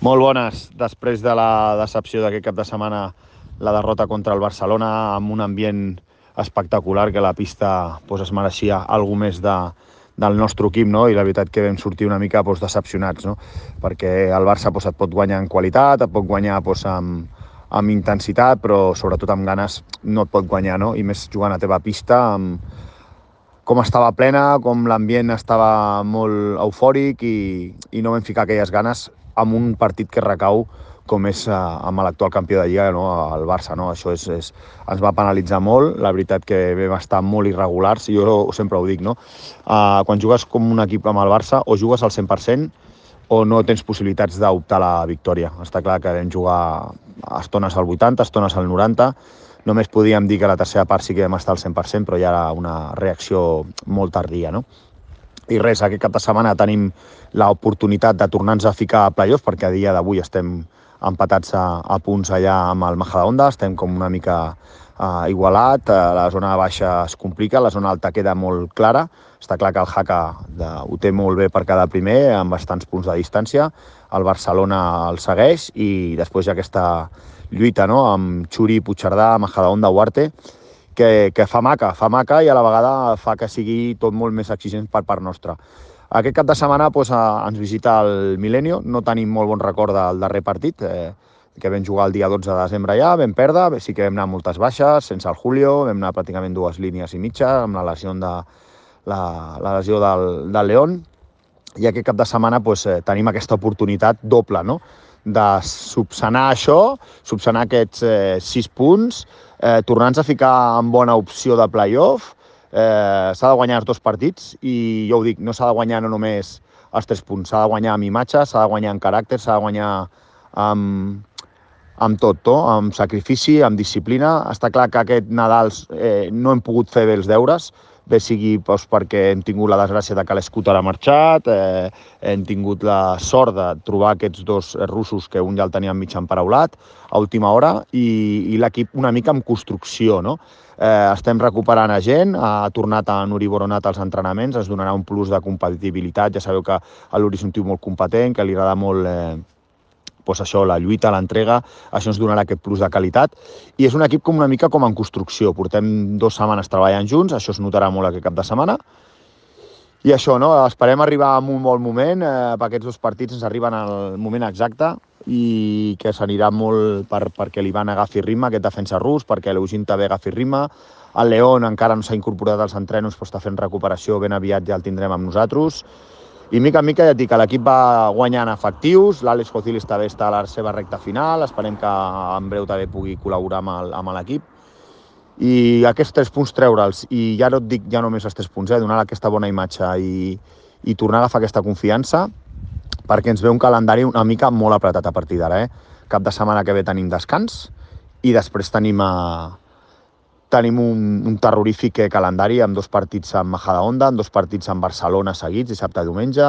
Molt bones. Després de la decepció d'aquest cap de setmana, la derrota contra el Barcelona, amb un ambient espectacular, que la pista es mereixia alguna més del nostre equip, no? I la veritat que vam sortir una mica decepcionats, no? Perquè el Barça et pot guanyar en qualitat, et pot guanyar amb intensitat, però sobretot amb ganes no et pot guanyar, no? I més jugant a teva pista, com estava plena, com l'ambient estava molt eufòric i no vam ficar aquelles ganes amb un partit que recau com és amb l'actual campió de Lliga, no? El Barça. No? Això ens va penalitzar molt. La veritat que vam estar molt irregulars, i jo sempre ho dic, no? Quan jugues com un equip amb el Barça, o jugues al 100% o no tens possibilitats d'optar a la victòria. Està clar que vam jugar estones al 80, estones al 90, només podíem dir que la tercera part sí que vam estar al 100%, però ja era una reacció molt tardia, no? I res, aquest cap de setmana tenim l'oportunitat de tornar-nos a ficar a playoff, perquè a dia d'avui estem empatats a punts allà amb el Majadahonda, estem com una mica igualat, la zona baixa es complica, la zona alta queda molt clara, està clar que el Jaca ho té molt bé per quedar primer, amb bastants punts de distància, el Barcelona el segueix, i després hi ha aquesta lluita, no?, amb Xuri, Puigcerdà, Majadahonda, Huarte, que fa maca i a la vegada fa que sigui tot molt més exigent per part nostra. Aquest cap de setmana ens visita el Milenio, no tenim molt bon record del darrer partit, que vam jugar el dia 12 de desembre ja, vam perdre, sí que vam anar moltes baixes, sense el Julio, vam anar pràcticament 2 línies i mitja, amb la lesió del León, i aquest cap de setmana tenim aquesta oportunitat doble, no?, de subsanar això, subsanar aquests 6 punts, tornar-nos a ficar en bona opció de play-off. S'ha de guanyar els 2 partits, i jo ho dic, no s'ha de guanyar no només els 3 punts, s'ha de guanyar amb imatge, s'ha de guanyar en caràcter, s'ha de guanyar amb tot, amb sacrifici, amb disciplina. Està clar que aquest Nadal no hem pogut fer bé els deures, bé sigui perquè hem tingut la desgràcia de que l'Scooter ha marxat, hem tingut la sort de trobar aquests 2 russos que un ja el teníem mig emparaulat a última hora, i l'equip una mica en construcció, no? Estem recuperant a gent, ha tornat a Nuri Boronat als entrenaments, ens donarà un plus de competitivitat. Ja sabeu que l'Uri és un tio molt competent, que li agrada molt això, la lluita, l'entrega, això ens donarà aquest plus de qualitat, i és un equip com una mica com en construcció. Portem 2 setmanes treballant junts, això es notarà molt aquest cap de setmana, i això, no? Esperem arribar en un bon moment, perquè aquests 2 partits ens arriben al moment exacte, i que s'anirà molt perquè l'Ivan agafi ritme, aquest defensa rus, perquè l'Eugene també agafi ritme. El León encara no s'ha incorporat als entrenos, però està fent recuperació, ben aviat ja el tindrem amb nosaltres. I mica en mica ja et dic que l'equip va guanyant efectius, l'Àlex Cocilis també està a la seva recta final, esperem que en breu també pugui col·laborar amb l'equip. I aquests 3 punts treure'ls, i ja no et dic ja només els 3 punts, donar aquesta bona imatge i tornar a agafar aquesta confiança, perquè ens ve un calendari una mica molt apretat a partir d'ara. Cap de setmana que ve tenim descans, i després tenim un terrorífic calendari amb 2 partits amb Majadahonda, amb 2 partits amb Barcelona seguits, dissabte i diumenge.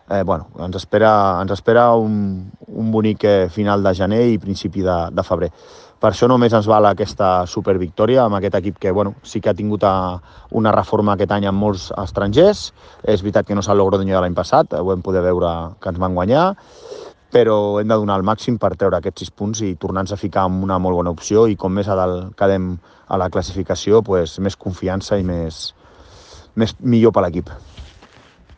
Ens espera un bonic final de gener i principi de febrer. Per això només ens val aquesta supervictòria amb aquest equip que sí que ha tingut una reforma aquest any amb molts estrangers. És veritat que no és el Logroño de l'any passat, ho vam poder veure que ens van guanyar, però hem de donar el màxim per treure aquests 6 punts i tornar-nos a ficar en una molt bona opció, i com més a dalt quedem a la classificació, més confiança i millor per l'equip.